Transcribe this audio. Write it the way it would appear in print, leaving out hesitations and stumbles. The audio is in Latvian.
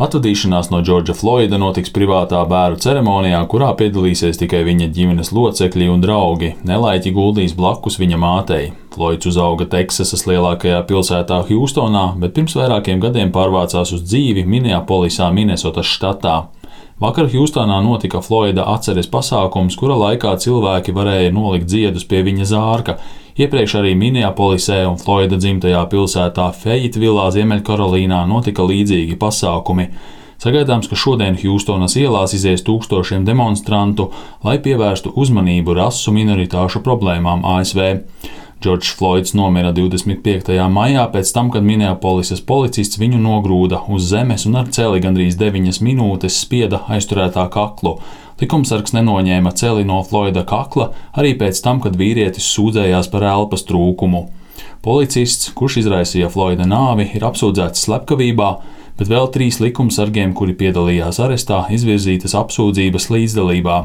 Atvadīšanās no Džordža Floida notiks privātā bēru ceremonijā, kurā piedalīsies tikai viņa ģimenes locekļi un draugi. Nelaiķi guldīs blakus viņa mātei. Floids uzauga Teksasas lielākajā pilsētā Hjūstonā, bet pirms vairākiem gadiem pārvācās uz dzīvi Minneapolisā, Minesotas štatā. Vakar Hjūstonā notika Floida atceres pasākums, kura laikā cilvēki varēja nolikt ziedus pie viņa zārka. Iepriekš arī Minneapolisē un Floida dzimtajā pilsētā Fejitvilā, Ziemeļkarolīnā notika līdzīgi pasākumi. Sagaidāms, ka šodien Hjūstonas ielās izies tūkstošiem demonstrantu, lai pievērstu uzmanību rasu minoritāšu problēmām ASV. Džordžs Floids nomira 25. maijā pēc tam, kad Minneapolisas policists viņu nogrūda uz zemes un ar celi gandrīz 9 minūtes spieda aizturētā kaklu. Likumsargs nenoņēma celi no Floida kakla arī pēc tam, kad vīrietis sūdzējās par elpas trūkumu. Policists, kurš izraisīja Floida nāvi, ir apsūdzēts slepkavībā, bet vēl 3 likumsargiem, kuri piedalījās arestā, izvirzītas apsūdzības līdzdalībā.